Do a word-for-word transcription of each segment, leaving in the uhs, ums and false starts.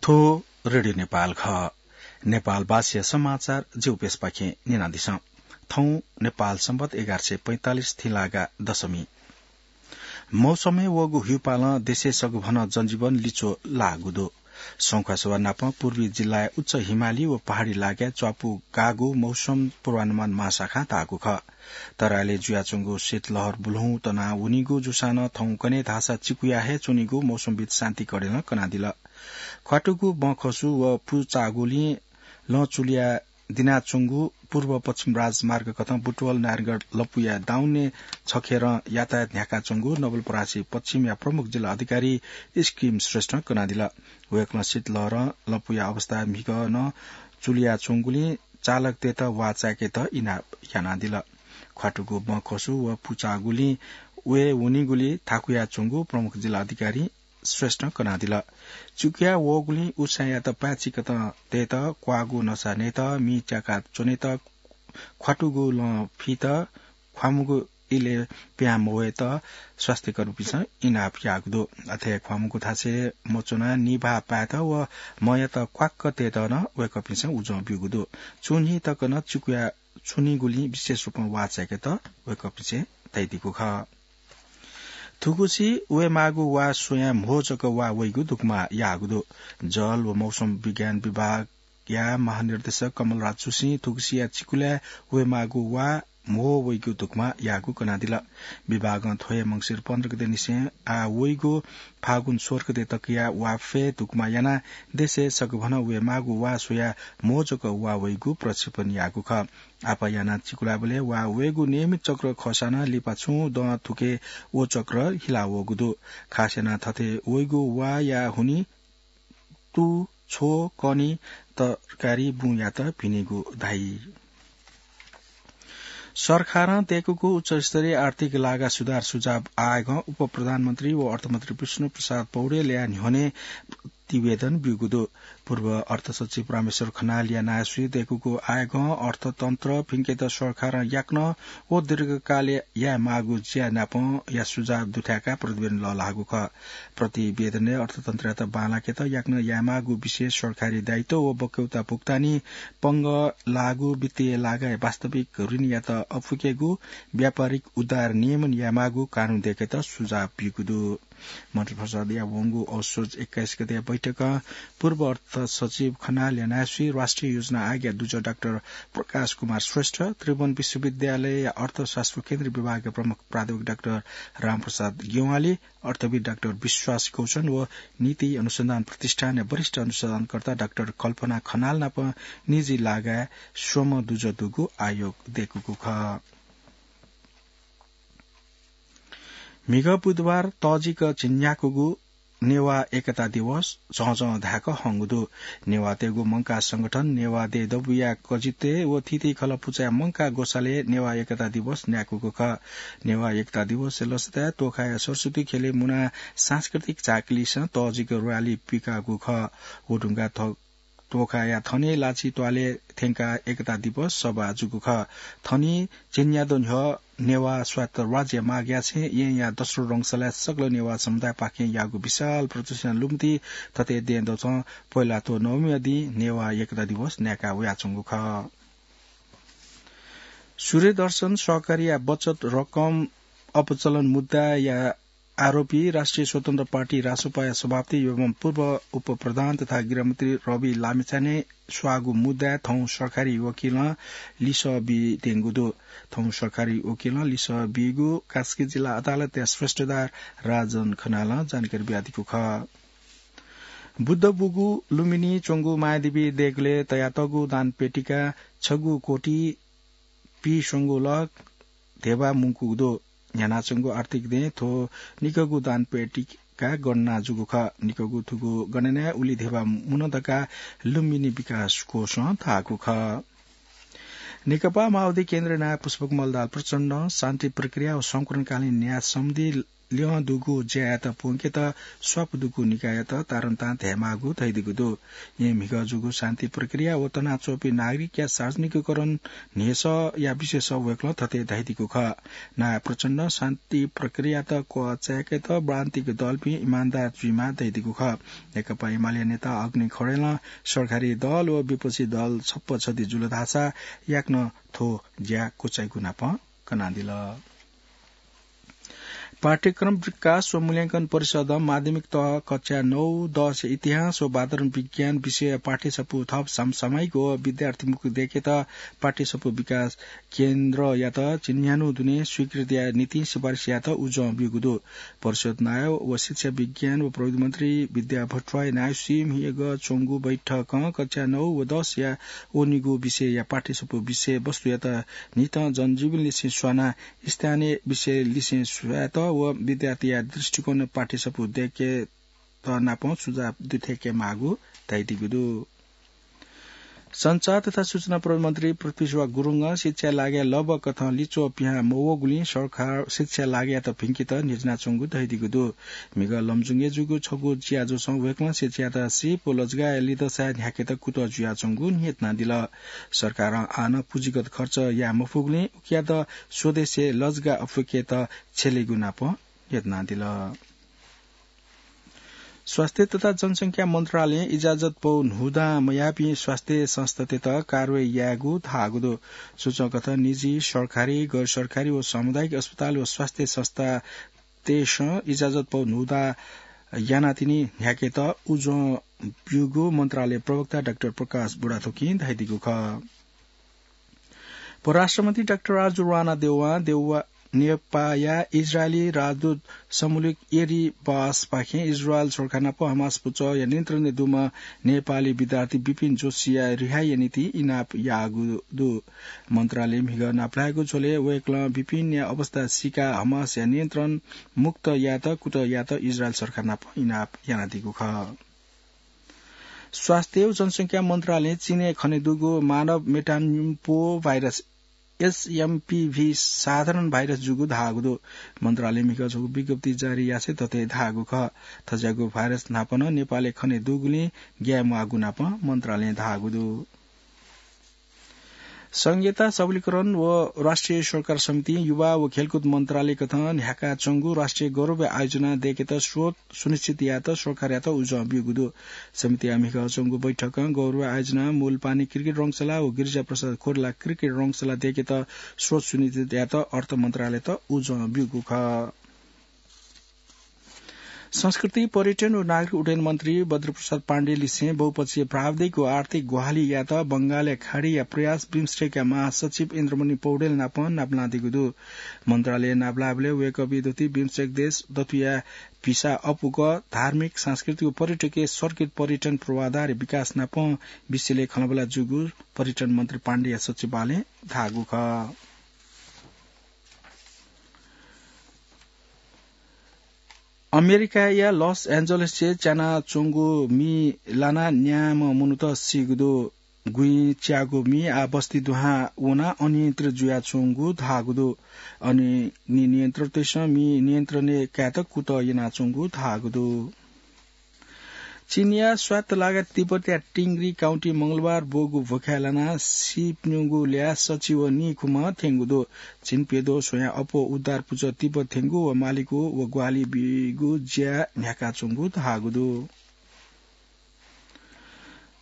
थ्व रेडियो नेपाल खः। नेपालवासीया समाचार ज्यू प्यसपाखें न्यनादिसँ। थौं नेपाल संवत एघार सय पैंतालिस थिंलागा दशमी। मौसमय् वःगु ह्युपालं देशय् सगभनं जनजीवन लिच्वः लाःगु दु। संखुवासभा नाप पूर्वी जिल्लाय् उच्च हिमाली व पहाडी लागाय् च्वापू गाःगु मौसम पूर्वानुमान महाशाखां धाःगु खः। तराईलय् जुयाच्वंगु शीतलहर बुल्हुं तना वनीगु जूसां नं थौंकन्हय् धाःसा चिकुया हे च्वनीगु मौसमविद् शान्ति कडेलं कनादिल। ख्वातुगु बँखसु व पुचागुलिं लँ चुलिया दिनाच्वंगु पूर्व पश्चिम राजमार्ग कथं बुटवल नारायणगढ लँपुया दाउने छखेरं यातायात न्ह्याकाच्वंगु नवलपरासी पश्चिमया प्रमुख जिल्ला अधिकारी स्किम श्रेष्ठं कनादिल। वय्कलं शीतलहरं लँपुया अवस्था म्हिगः नं चुलियाच्वंगुलिं चालकतय्त वाः चाय्केत इनाप यानादिल। ख्वातुगु बँखसु व पुचागुलिं वये वनीगुली थाकुयाच्वंगु प्रमुख जिल्ला अधिकारी श्रेष्ठं कनादिल। चिकुया वःगुलिं उसाँयात पाय्चिकतं तयेत, क्वाःगु नसा नयेत, मि त्याका च्वनेत, ख्वातुगु लँ फीत, ख्वामुगु इलय् पिहां मवयेत स्वास्थ्यकर्मीपिन्सं इनाप याःगु दु। अथे ख्वामुगु थासय् मच्वनाः निभाः पायेत व मँयात क्वाक्क तयेत नं वय्कःपिन्सं उजं ब्यूगु दु। चुन्हि तक नं चिकुया च्वनीगुलिं विशेष रूपं वाः चाय्केत वय्कःपिन्सं धयादीगु खः। थुगुसी वयेमाःगु वाः स्वयाः म्हो जक वाः वइगु दुकमा याःगु दु। जल व मौसम विज्ञान विभागया महानिर्देशक कमलराज जोशीं थुगुसिया चिकुलय् वयेमाःगु वाः म्हो वइगु दुकमा याःगु कनादिल। विभागं थ्व हे मंसिर पन्ध्र गते निसें आः वइगु फागुन सोह्र गते तकया वाः फय् दुकमा यानाः देशय् सगभनं वयेमाःगु वाः स्वयाः म्हो जक वाः वइगु प्रक्षेपण याःगु खः। आपाः यानाः चिकुलाबलय् वाः वयेगु नियमित चक्र खःसां नं लिपा छुं दँ थुके व चक्र हिला वःगु दु। खास यानाः थथे वइगु वाःया हुनिं तू, छ्व, कनी, तरकारी बुँयात भिनेगु धाइ। सरकारं दय्कूगु उच्चस्तरीय आर्थिक लागा सुधार सुझाव आयोगं उपप्रधानमन्त्री व अर्थमन्त्री विष्णु प्रसाद पौडेलया न्ह्यःने प्रतिवेदन ब्यूगु दु। पूर्व अर्थसचिव रामेश्वर खनालया नायःसुइ दय्कूगु आयोगं अर्थतन्त्र भिंकेत सरकारं याकनं व दीर्घकालय् यायेमाःगु ज्या नापं या सुझाव दुथ्याकाः प्रतिवेदन लःल्हाःगु खः। प्रतिवेदनय् अर्थतन्त्रयात बांलाकेत याकनं यायेमाःगु विशेष सरकारी दायित्व व बक्यौता भुक्तानी, पंगः लाःगु वित्तीय लागाय् वास्तविक ऋणयात अपुकेगु, व्यापारिक उदार नियमन यायेमाःगु कानून दय्केत सुझाव ब्यूगु दु। मन्त्रिपरिषदया वंगु असोज एक्काइस गते बैठकं पूर्व अर्थ सचिव खनालया नायःसुइ राष्ट्रिय योजना आयोगया दुजः डाक्टर प्रकाश कुमार श्रेष्ठ, त्रिभुवन विश्वविद्यालयया अर्थशास्त्र केन्द्रीय विभागया प्रमुख प्राध्यापक डाक्टर रामप्रसाद ज्ञवाली, अर्थविद् डाक्टर विश्वास गौचन व नीति अनुसन्धान प्रतिष्ठानया वरिष्ठ अनुसन्धानकर्ता डाक्टर कल्पना खनाल नाप निजी लागाय् स्वम्ह दुजः दुगु आयोग दय्कूगु खः। म्हिगः बुधबार तःजिक झिंन्याकूगु नेवाः एकता दिवस झःझः धाय्क हंगु दु। नेवाःतय्गु मंकाः संगठन नेवाः देय् दबूया कजितय् व थीथी खलः पुचःया मंकाः ग्वसालय् नेवाः एकता दिवस न्याकूगु खः। नेवाः एकता दिवसया लसताय् तोखाया सरस्वती खेलय् मुनाः सांस्कृतिक झाँक्रीसं तःजिक र्‍याली पिकाःगु खः। व धुंकाः थ-, तोखाया थनिं लाछि त्वालय् थ्यंकाः एकता दिवस सभा जूगु खः। थनिं झिंन्यादँ न्ह्यः नेवाः स्वायत्त राज्य मागया छेँ येँया दस्रो रंगशालाय् सकल नेवाः समुदायपाखें याःगु विशाल प्रदर्शनया लुमति थथे दँय्दँचं पोहेलाथ्व नवमीया दिं नेवाः एकता दिवस न्याका वयाच्वंगु खः। सूर्यदर्शन सहकारीया बचत रकम अपचलन मुद्दाया आरोपी राष्ट्रिय स्वतन्त्र पार्टी रासोपाया सभापति एवं पूर्व उपप्रधान तथा गृहमन्त्री रवि लामिछाने स्वाःगु मुद्दाय् थौं सरकारी वकिलं लिसः बीत्यंगु दु। थौं सरकारी वकिलं लिसः बीगु कास्की जिल्ला अदालतया श्रेष्ठदार राजन खनालं जानकारी बियादीगु खः। बुद्ध बुगु लुम्बिनी च्वंगु मायादेवी देगलय् तयातःगु दान पेटिका छगू कोटि पीस्वंगू लख धेबा मुंकूगु दु। न्ह्यानाच्वंगु आर्थिक दँय् थ्व निकःगु दान पेटिका गणना जूगु खः। निकःगु थुगु गणनाय् उलि धेबा मुन धकाः लुम्बिनी विकास कोषं धाःगु खः। नेकपा माओवादी केन्द्रीय नायः पुष्पकमल दाहाल प्रचण्डं शान्ति प्रक्रिया व संकुलनकालीन न्याय सम्बन्धी ल्यं दुगु ज्यायात प्वंकेत स्वापु दुगु निकाययात तारन्तां धायेमाःगु धयादीगु दु। येँ म्हिगः जूगु शान्ति प्रक्रिया व तनाच्वंपिं नागरिकया सार्वजनिकीकरण न्ह्यसःया विषयस वय्कलं थथे धयादीगु खः। नायः प्रचण्डं शान्ति प्रक्रियात क्वचाय्केत राजनीतिक दलपिं इमानदार जुइमाः धयादीगु खः। नेकपा एमाले नेता अग्नि खड्गीं सरकारी दल व विपक्षी दल छप्पा छधी जुल धाःसा याकनं थ्व ज्या क्वचाइगु नाप कनादिल। पाठ्यक्रम विकास व मूल्यांकन परिषदं माध्यमिक तह कक्षा नौ, दस इतिहास व वातावरण विज्ञान विषय पाठ्यसफू थप समसामयिक व विद्यार्थीमुखी दय्केत पाठ्यसफू विकास केन्द्रयात चिन्हय् न्ह्यागु दुने स्वीकृतिया निंतिं सिफारिस यायेत उजं ब्यूगु दु। परिषद नायः व शिक्षा विज्ञान व प्रविधि मन्त्री विद्या भट्टराई नायःसि म्हिगः च्वंगु बैठकं कक्षा नौ व दसया वनीगु विषयया पाठ्यसफू विषयवस्तुयात न्हितं जनजीवनलिसें स्वानाः स्थानीय विषयलिसें स्वायेत व विद्यार्थीया दृष्टिकोण पाठ्यसफू दय्केत नापं सुझाव दुथ्याकेमाःगु धयादीगु दु। सञ्चार तथा सूचना प्रविधि मन्त्री पृथ्वीशुवा गुरुङं शिक्षाया लागि लँपु कथं लिच्वः पिहां मवःगुलिं सरकारं शिक्षाया लागियात भिंकेत न्ह्यचिनाच्वंगु धयादीगु दु। म्हिगः लमजुङय् जूगु छगू ज्याझ्वलय् वय्कलं शिक्षायात सिप व लजगाःया लिधंसाय् न्ह्याकेत कुतः जुयाच्वंगु न्ह्यथनादिल। सरकारं आः नं पुँजीगत खर्च याये मफुगुलिं उकियात स्वदेशय् लजगाः अप्वय्केत छ्यलेगु नाप न्ह्यथनादिल। स्वास्थ्य तथा जनसंख्या मन्त्रालयं इजाजत पौ न्हूदँ मयाःपिं स्वास्थ्य संस्थातय्त कारवाही यायेगु धाःगु दु। सूचना कथं निजी, सरकारी, गैर सरकारी व सामुदायिक अस्पताल व स्वास्थ्य संस्थातय्सं इजाजत पौ न्हूदँ यानातिनि न्ह्याकेत उजं ब्यूगु मन्त्रालय प्रवक्ता डाक्टर प्रकाश बुढाथोकीं धयादीगु खः। परराष्ट्रमन्त्री डाक्टर आरजु राणा देउवां देउवा नेपाःया इजरायली राजदूत समुलिक एरी बासपाखें इजरायल सरकार नाप हमास पुचःया नियन्त्रणय् दुम्ह नेपाली विद्यार्थी विपिन जोशीया रिहाईया निंतिं इनाप याःगु दु। मन्त्रालयं म्हिगः नापलायेगु झ्वलय् वय्कलं विपिनया अवस्था सीकाः हमासया नियन्त्रण मुक्त यायेत कुतः यायेत इजरायल सरकार नाप इनाप यानादीगु खः। स्वास्थ्य व जनसंख्या मन्त्रालयं चीनय् खनेदुगु मानव मेटाम्पो भाइरस, एसएमपिभी, साधारण भाइरस जूगु धाःगु दु। मन्त्रालयं म्हिगः छगू विज्ञप्ति जारी यासें थथे धाःगु खः। थज्याःगु भाइरस न्हापा नं नेपालय् खनेदुगुलिं ग्याये म्वाःगु नाप मन्त्रालयं धाःगु दु। संघीयता, सबलीकरण व राष्ट्रिय सरोकार समितिं युवा व खेलकुद मन्त्रालय कथं न्ह्याकाच्वंगु राष्ट्रिय गौरवया आयोजना दय्केत स्रोत सुनिश्चित यायेत सरकारयात उजं ब्यूगु दु। समितिया म्हिगः च्वंगु बैठकं गौरवया आयोजना मूलपानी क्रिकेट रंगशाला व गिरिजा प्रसाद खोरेला क्रिकेट रंगशाला दय्केत स्रोत सुनिश्चित यायेत अर्थ मन्त्रालययात उजं ब्यूगु खः। संस्कृति, पर्यटन व नागरिक उड्डयन मन्त्री बद्रप्रसाद पाण्डेलिसें बहुपक्षीय प्राविधिक व आर्थिक ग्वाहालि यायेत बंगालया खाडीया प्रयास बिमस्टेकया महासचिव इन्द्रमणि पौडेल नाप नापलानादीगु दु। मन्त्रालयं नापलाःबलय् वय्कःपिं दथुइ बिमस्टेक देश दथुया भिसा अपुक, धार्मिक, सांस्कृतिक व पर्यटकीय सर्किट पर्यटन पूर्वाधार विकास नाप विषयलय् खँल्हाबल्हा जूगु पर्यटन मन्त्री पाण्डेया सचिवालयं धाःगु खः। अमेरिकाया लस एन्जलसय् च्यानाच्वंगु मि लानाः न्याम्ह मनूत सीगु दु। गुँइ च्याःगु मि आः बस्ती दुहां वनाः अनियन्त्रित जुयाच्वंगु धाःगु दु। अनंलि नियन्त्रकतय्सं मि नियन्त्रणय् कायेत कुतः यानाच्वंगु धाःगु दु। चीनया स्वायत्त लागा तिब्बतया टिंगरी काउन्टी मंगलबार ब्वःगु भ्वखाय् लानाः सीप्यंगू ल्याः सछि व नीखुम्ह थ्यंगु दु। चीन प्यद्वः स्वयाः अप्वः उद्धार पुचः तिब्बत थ्यंगु व मालिकु व ग्वाहालि बीगु ज्या न्ह्याकाच्वंगु धाःगु दु।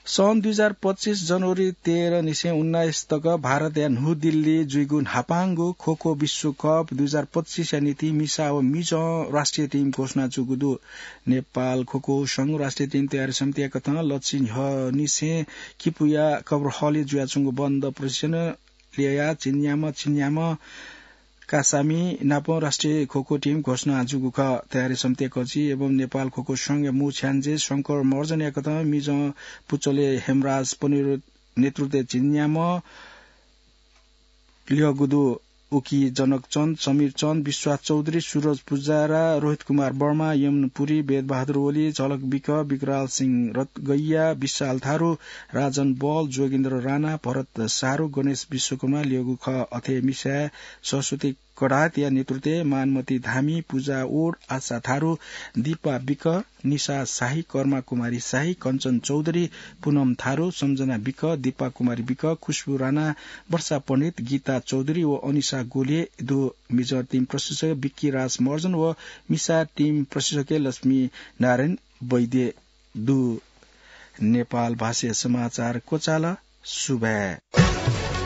सन् दुई हजार पच्चिस जनवरी तेह्र निसें उन्नाइस तक भारतया न्हू दिल्ली जुइगु न्हापांगु खोखो विश्वकप दुई हजार पच्चिसया निंतिं मिसा व मिजं राष्ट्रिय टिम घोषणा जूगु दु। नेपाल खोखो संघ राष्ट्रिय टिम तयारी समितिया कथं लच्छि न्ह्यःनिसें किपुया कब्र हलय् जुयाच्वंगु बन्द प्रशिक्षण ल्ययाः चिन्याम्ह चिन्याम्ह कासामि नाप राष्ट्रिय खोखो टिम घोषणा जूगु खः। तयारी समितिया कजि एवं नेपाल खोखो संघया मू छ्याञ्जे शंकर महर्जनया कथं मिजं पुचलय् हेमराज पनिर नेतृत्वय् चिन्याम्ह ल्यःगु दु। उकी जनक चन्द, समीर चन्द, विश्वास चौधरी, सुरज पुजारा, रोहित कुमार वर्मा, यमन पुरी, वेदबहादुर ओली, झलक विक, विकराल सिंह रतगैया, विशाल थारु, राजन बल, जोगेन्द्र राणा, भरत सारु, गणेश विश्वकर्मा ल्यःगु खः। अथे मिसाय् सरस्वती कडातया नेतृत्वय् मानमती धामी, पूजा ओड, आशा थारु, दीपा बिक, निशा शाही, कर्मा कुमारी शाही, कञ्चन चौधरी, पुनम थारु, सम्झना बिक, दीपा कुमारी बिक, खुशबु राणा, वर्षा पण्डित, गीता चौधरी व अनिशा गोले दु। मिजर टिम प्रशिक्षक बिक्की राज महर्जन व मिसा टिम प्रशिक्षक लक्ष्मी नारायण वैद्य दु। नेपाल भाषा समाचार क्वचाल। सुभाय्।